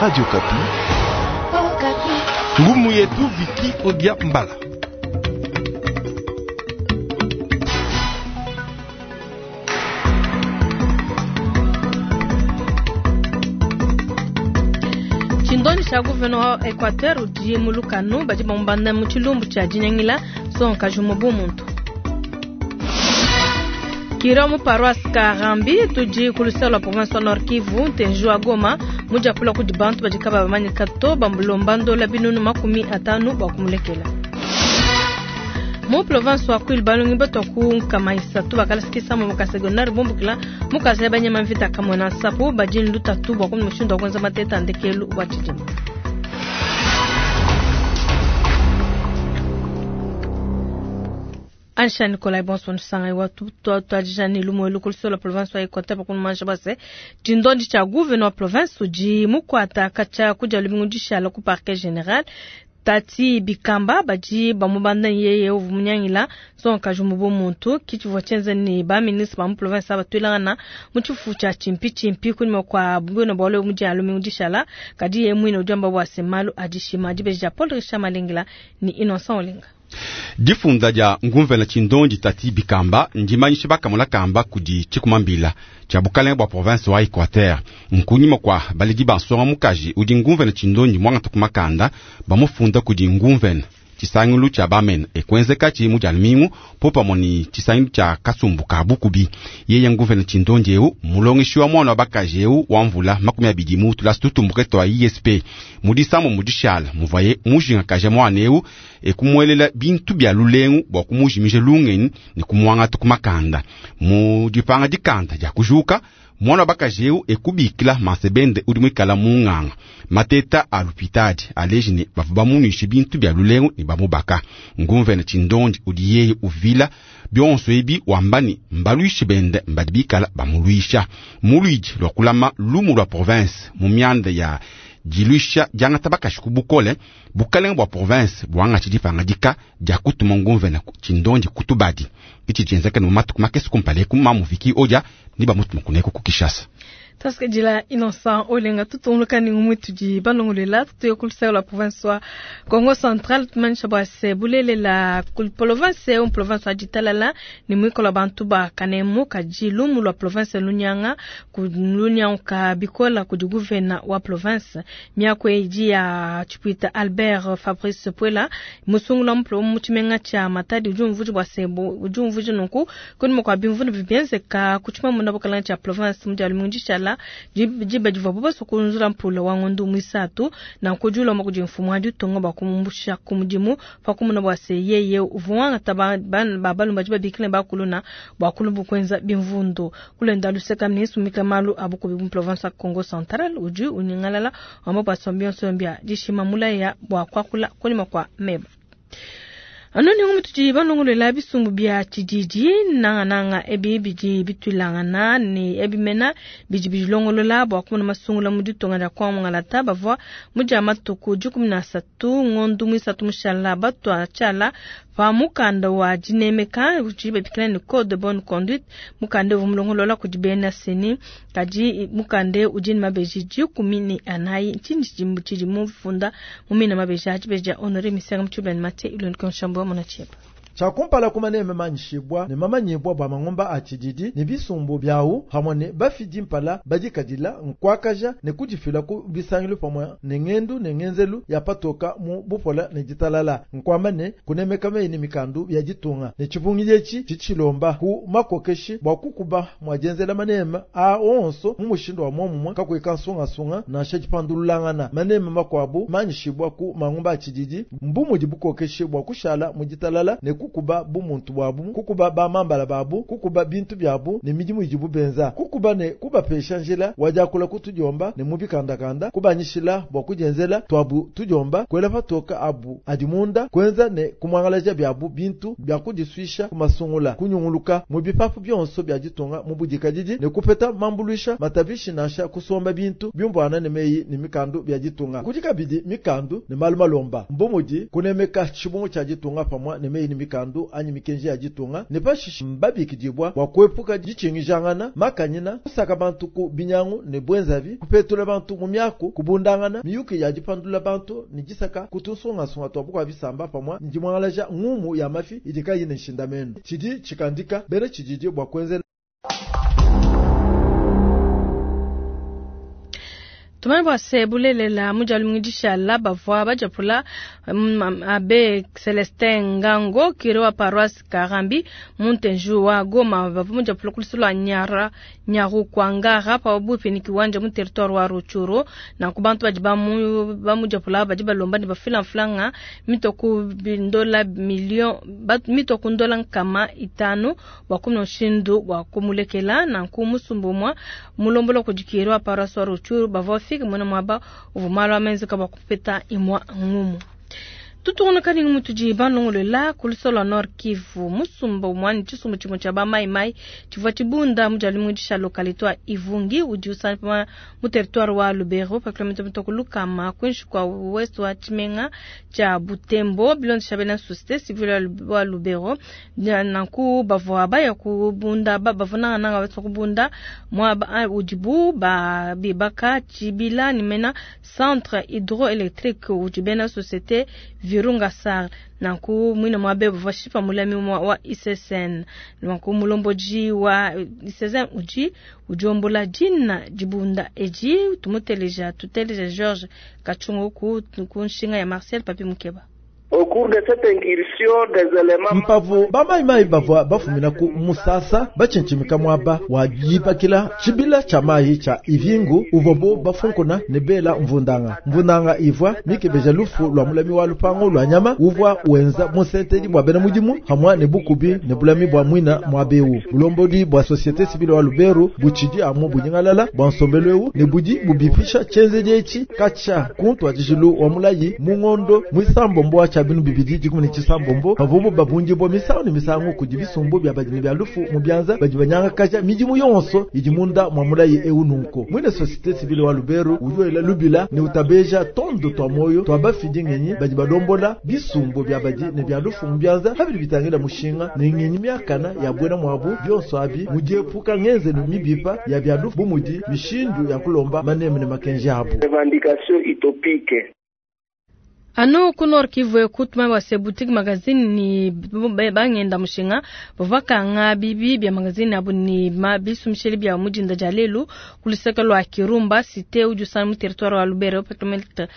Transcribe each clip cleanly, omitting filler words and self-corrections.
Radio Kapi. Ngumu yetu Viki Odia Mbala. Tshindonji tshia gouverneur wa Equateur udi mu lukanu badi bamubanda mu tshilumbu tshia dinyangila nsongakaji umue bu muntu. Kira mu paroisse Karambi tudi ku luseke lua province wa Nord Kivu ntenji wa Goma mudiapula kudi bantu badi kaba bamanyika to bamulomba ndola binunu 50 bua kumulekela. Mu province wa Kwilu balongi batua ku 300 bakalasikisa mu secondaire bumbukila mu kaza ya banyama mvita Kamwina Nsapu badi ne lutatu bua kumona mushindu wa kuenza mateta a ndekelu wa tshidimu. Ansha Nikolai bonso nusanga wa tuadija ne lumu elu ku luseke lua province wa Equateur pa kumumanyisha bua se tshindondi tshia gouverneur wa province udi mukuata katshia kudia lumingu dishala ku parquet general Tati Bikamba badi bamubanda yeye uvua munyangila nsongakaji umue bu muntu ki tshivua tshienza ne ba ministre ba mu province aba tuelangana mu tshifufu tshia tshimpi tshimpi kunyima kua buena bualu ebu mudia lumingu dishala kadi yeye muine udi wamba bua se malu a dishima dibeji dia Paul Richard Malengela ne Innocent Olenga. Difunda dia ngumvena tshindondi Tati Bikamba ndimanyishe bakamona kamba kudi tshikumambila tshia bukalenge bua province wa Equateur nkunyima kua baledi ba nsonga mukaji udi ngumvena tshindondi mwangata ku makanda bamufunda kudi ngumvena tshisangilu tshia bamene ekwenzeka mu dia lumingu popamue ne tshisangilu tshia kasumbu ka bukubi. Yeye ngumvena tshindondi eu mulongeshi wa mwana wa bakaji eu wa mvula 20 mu tulasa tutumbuke twa ISP mu disambo mu dishala muvaye mujingakaja mwana eu ekumuelela bintu bya lulengu bua kumujimija lungenyi ne kumuangata ku makanda mu dipanga dikanda dia kujuka mwana wa bakaji eu ekubikila mansebende udi muikala munganga mateta a lupitadi aleji ne bavua bamunuishe bintu bya lulengu ne bamubaka. Ngumvene tshindondi udi yeye uvila bionso ebi wamba ne mbaluishi bende mbadi bikala bamuluisha muluidi lua kulama lumu lua province mu mianda ya diluisha diangata bakaji ku bukole bukalenge bua province buangatshi dipangadika dia kutuma ngumvene tshindondi kutubadi itshi tshienzeka ne mu matuku makese kumpala eku mamuviki odia ni bamutuma kuneko ku Kinshasa. Tuasikidila Innocent Olenga tutunguluka ne ngumwe tudi balongolela tutuye ku luseke lua province wa Congo Central tumanyisha bua se bulelela ku province eu province wa ditalala ne muikala bantu ba kanemu kadi lumu lua province lunyanga ku lunyanguka bikola kudi gouverneur wa province miaku idi ya Chipuita Albert Fabrice Puela musungula mu mu tshimenga tshia Matadi udi umvuija bua se udi umvuija nunku kunyima kua bimvundu bibienzeka ku tshimamuna bukalanga tshia province mu dia lumingu dishala diba divuabu basua kunzula mpula wa ngondo muisatu nanku udi ulomba kudi mfumu wa ditunga bua kumumbusha ku mudimu pa kumona bua se yeye uvua wangata ba balume badi babikila bakuluna bua kulumbu kuenza bimvundu. Kulenda luseka ministre mika malu a bukubi mu province ya Congo Central udi unyingalala wamba bua se bionso bia dishima mulaya bua kuakula kunyima kua meba. Anu ni ngumu tudi balongolela bisumbu bia tshididi nangananga ebi bidi bituilangana ne ebi mena bidi bilongolola bua kumona masungula mu ditunga dia kwa Mungalata bavua mu dia matuku 13 ngondo muisatu mushala batua tshiala pa mukanda wa dinemeka udi babikila ne code de bonne conduite mukanda uvua mulongolola kudi bena seni kadi mukanda udi ne mabeji 14 ntshinyi tshidi mufunda mu mina mabeji adi beji dia Honoré Misenga Mutshibeni Mathieu Ilonike Nshambo wa Mona Tshieba. Tshiakumpala kumaneme manyishibwa ne mamanyibwa bua mangomba a tshididi ne bisumbu byawu hamwe ne bafidi mpala badikadila nkwakaja ne kudifila ku bisangilu pamwe ne ngendu ne ngenzelu ya patoka mu bupola ne ditalala nkwamba ne kunemeka meyi ne mikandu ya ditunga ne tshipungidi etshi tshitshilomba ku makokeshi bua kukuba mua dienzela maneme a onso mu mushindu wa muomumue kakuyi kansungasunga nansha dipandululangana maneme makuabu manyishibwa ku mangomba a tshididi mbu mudi bukokeshi bua kushala mu ditalala ne kukuba bumuntu bwabu kukuba bamambala babu kukuba bintu byabu ne midimu idibu benza kukuba ne kubapesha njila wadiakula kutudiomba ne mubikandakanda kubanyishila bua kudienzela twabu tudiomba kuela patoka abu adi munda kuenza ne kumwangalaja byabu bintu bya kudisuisha kumasungula kunyunguluka mu bipapu bionso bya ditunga mu budikadidi ne kupeta mambuluisha matabishi nansha kusomba bintu biumvuana ne meyi ne mikandu bya ditunga kudi kabidi mikandu ne malu malomba mbu mudi kunemeka tshibungu tshia ditunga pamue ne meyi ne mikandu. mikandu anyi mikenji ya ditunga, ne pashishe mbabikidibua bua kuepuka ditshingijangana, makanyina, kusaka bantu ku binyangu ne buenzavi, kupetula bantu mu miaku, kubundangana, miyuki ya dipandula bantu ne disaka ku tunsungasunga tua bukua bisamba pamue ne dimuangalaja ngumu ya mafi idi kayiyi ne nshindamenu. Tshidi tshikandika bena tshididi bua kuenzela. Tumanye bua se, bulelela mu dia lumingu dishala bavua badiapula Abbe Celestin Ngango cure wa paroisse Karambi mu ntenju wa Goma. Bavua mudiapula ku lusu lua Nyara Nyarukwangara pabuipi ne Kiwanja mu territoire wa Rutshuru. Nanku bantu badi bamudiapula badi balomba ne bafila mfranga mitue ku ndola million, mitue ku ndola 500 bua kumona mushindu wa kumulekela. Nanku musumba umue mulombola kudi cure wa paroisse wa Rutshuru bavua bafike muena muaba uvua malu a menzeka bua kupeta imue ngumu. Tutungunuka ne ngumu tudi balongolola ku luseke lua Nord Kivu. Musumba umue ne tshisumbu tshimue tshia ba Mai Mai tshivua tshibunda mu dia lumingu disha localité wa Ivungi udi usangana mu territoire wa Lubero pa kilomètre mitue ku lukama kuinshi kua ouest wa tshimenga tshia Butembo. Bilondesha bena société civile wa Lubero, nanku bavua baya kubunda, bavua nangananga basua kubunda muaba udibu ba bibaka tshibila ne mena centre hydroélectrique udi bena société Virunga Sar. Nanku muine muabe bavua shipa mulami wa ICCN. Nanku mulombodi wa ICCN udi udiombola dina dibunda edi. Tumuteleja, tuteleja Georges Kachungu ku nshinga ya Marcel Papi Mukeba. Au cours de cette incursion, des éléments Mpavu bamayimayi bavua bafumina ku musasa bachinchimika mwaba wa jipakila tshibila tsha mayi tsha ivingu uvobo bafunkuna ne bela mvundanga. Mvundanga ivua mikebeja lufu lwa mulami wa lupango lwa nyama uvua wenza musentedi bua bena mudimu hamwa ne bukubi ne bulami bua mwina mwa beu. Bulombodi bua société civile wa Lubero butshidi amu bunyingalala bua nsombelu eu ne budi bubipisha tshenzedi etshi katsha kuntu adijilu wa mulayi mu ngondo mwisambombo wa tsha binu bibidi dikumi ne tshisambombo bavubo babundibua misangu ne misangu kudi bisumbu bia badimi bia lufu mu bianza badi banyangakaja midimu yonso idi munda mwa mulayi eu nunko. Mwine société civile wa Lubero udi wela lubila ne utabeja tondo twa moyo twa bafidi ngenyi badi balombola bisumbu bia badi ne bia lufu mu bianza habidi bitangila mushinga ne ngenyi miakana ya bwena mwabu bionso abi mudiepuka ngenzelu mibipa ya bia lufu bumudi mishindu ya kulomba maneme ne makenji abu. Revendication utopique. Anu ku Nord Kivu kutuma wa se boutique magazine ni bangenda mushinga bavakanga bibi bya magazine abu ni mabisumsheli bya mujinda jalelu kuliseka lwa Kirumba cité ujusana mu territoire wa Lubero petromètre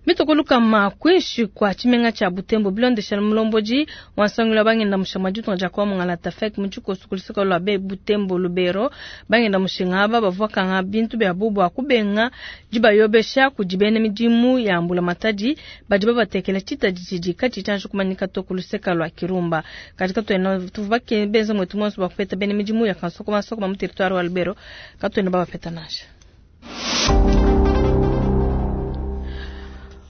mitokoluka makwinshi kwa chimenga cha Butembo bilondesha mulomboji wansangula bangenda mushinga jutu ja kwa mungala tafek muchuko kuliseka lwa be Butembo Lubero bangenda mushinga aba bavakanga bintu bya bubu akubenga jibayobesha kujibene midimu ya mbula matadi badi babatekela chita jiji kati chanjo kumanyika to kuluseka lwa Kirumba katika tuena tuvake benza mwetu mwanzo bakupeta bene midimu ya kansoko masoko mu territoire wa Lubero katuena babapeta nasha.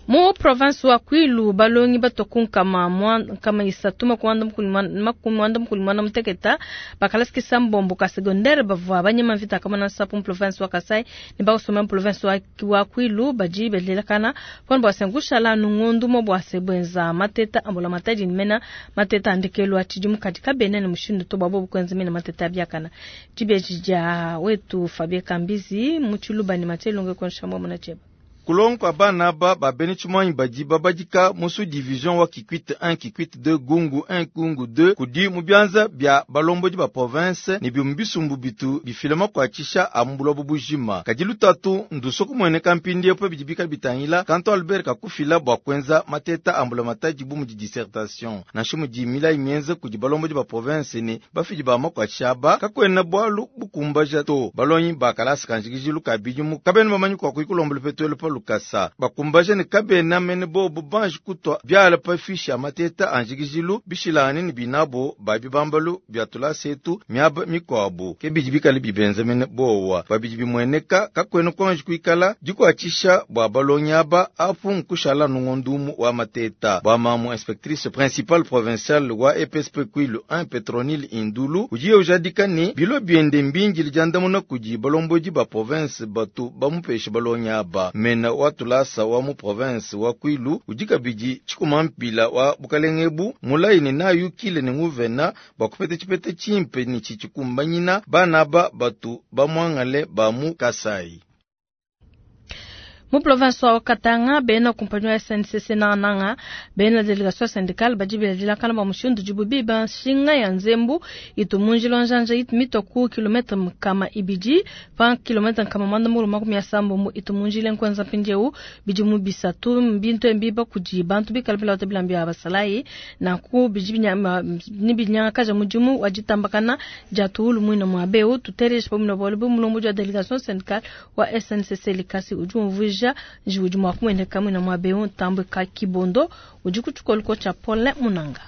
Mu province wa Kwilu balongi batoku nkama isatu makumu mukulu mwana muteketa bakalasikisa mbombo ka secondaire bavua banyema mvita kama na sapu mu province wa Kasai ne bakosoma mu province wa Kwilu badi belelakana pona bwasengusha la nungundu mo bwasebwenza mateta ambola matadi mena mateta andikelu atshidi mukadi kabene ne mushindu to babo bukwenza mena mateta biakana dibeji dia wetu Fabien Kambizi mu Tshiluba ne Mathelonge konshambo mona cheba. Kulongo abana aba babene tshimanyi badi babadika musu division wa Kikwit 1 Kikwit 2 Gungu 1 Gungu 2 kudi mu bianza bia balombodi ba province ne bimu bisumbu bitu bifilema kuatshisha ambula bubujima kadi lutatu nduso kumueneka mpindi epo bidi bika bitangila kanto Albert kakufila bua kuenza mateta ambula matadi bu mudi dissertation nansha mudi milayi mienze kudi balombodi ba province ne bafidi ba makuatshisha aba kakuena bualu bukumbaja to balonyi bakalasa kanjikijilu kabidimu kabena bamanyi kua kuikulombola petuelo pa kasa bakumbaja ne kabena mene bobo banji kutwa byala pa fishi ya mateta anjikijilu bishilani ne binabo babi bambalu bya tulasetu miaba mikwabu ke bidi bikale bibenza mene bowa babidi bimweneka kakwena kwanji kuikala dikuatshisha bua balongi aba apu nkushala nungondumu wa mateta bua mamu inspectrice principale provinciale wa EPSP Kwilu 1 Petronile Indulu udiye ujadika ne bilo biende mbingi lidiandamuna kudi balombodi ba province batu bamupeshe balongi aba mena Nguvena wa tulasa wa mu province wa Kwilu udi kabidi tshikumampila wa bukalenge ebu mulayi ne nayukile ne nguvena bua kupeta tshipeta tshimpe ne tshitshikumbanyina bana aba batu bamuangale ba mu Kasai. Mu province wa Katanga bena kumpanyi wa SNCC nangananga bena delegation syndicale badi beladilakana bua mushindu udibu biba nshinga ya nzembu itu mu njila wa njanja itu mitua ku kilometre 200 pa kilometre 960 itu mu njila nkuenza mpindieu bidimu bisatu mbintu embiba kudi bantu bikala bilota bilamba bia basalayi nanku bidi ni binyangakaja mudimu wa ditambakana dia tuulu muina mua beu tuteleje pamue na bualu bu mulombodi wa delegation syndicale wa SNCC Likasi udi umvuija njiwu udi mua kumueneka muina mua beu Ntambwe ka Kibondo udi ku tshikoliko tshia Paulin Munanga.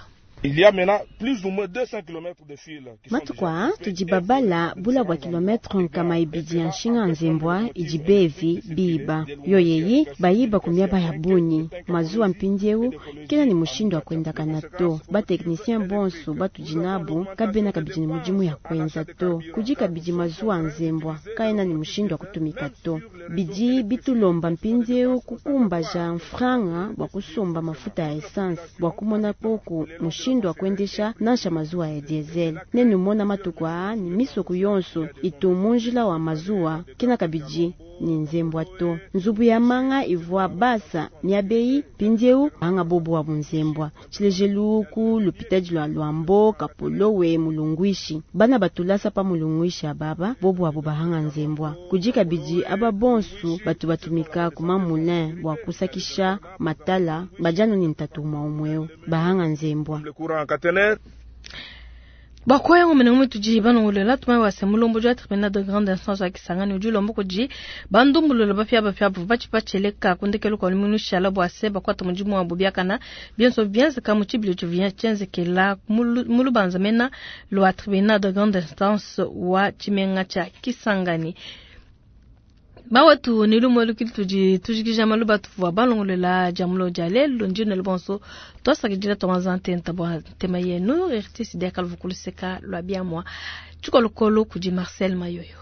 Il y a maintenant plus ou moins 200 km de fil. Matuku aa tudi babala bula bua kilometre 200 ya nshinga nzembwa idi bevi biba yoyeyi bayiba ku miaba ya bunyi mazuwa mpindieu kena ne mushindu wa kuendakana to batechnicien bonso batudi nabu kabena kabidi ne mudimu ya kuenza to kudi kabidi mazuwa nzembwa kaena ne mushindu wa kutumika to bidi bitulomba mpindieu kukumbaja mfranga bua kusomba mafuta ya essence bua kumona koku mushindu wa kuendesha nansha mazuwa ya diesel nenumona matuku aa ni misoko yonso itu munjila wa mazuwa kena kabidi ni nzembwa to nzubu ya manga ivua basa miabeyi mpindieu anga bobo wa bunzembwa tshilejelu ku lupitadi lwa Lwambo Kapolowe mulungwishi bana batulasa pa mulungwishi ababa bobo abo bahanga nzembwa kudi kabidi aba bonsu batu batumika kuma moulin bua kusakisha matala bajano ni ntatu mwa umweo bahanga nzembwa. Bakoya ngomene ngome tudi banongolela tuma wase mulombodi wa tribunal de grande instance wa Kisangani udi ulomba kudi bandumbulula bapia bapia bavua batshipatshileka ku ndekelu kua lumingu lushala bua se bakuata mudimu wabu biakana bionso bienzeka mu tshibilu tshivua tshienzekela mu lubanza mena lua tribunal de grande instance wa tshimenga tshia Kisangani. Bawetu ni lumo lukili tudi tujikija maluba tuvua balongolela dia mulo dia lelu ndine lubonso twasakidila twanza ntenta bua ntema yenu RTC dia kaluvu kuluseka lua biamua tshikolokolo kudi Marcel Mayoyo.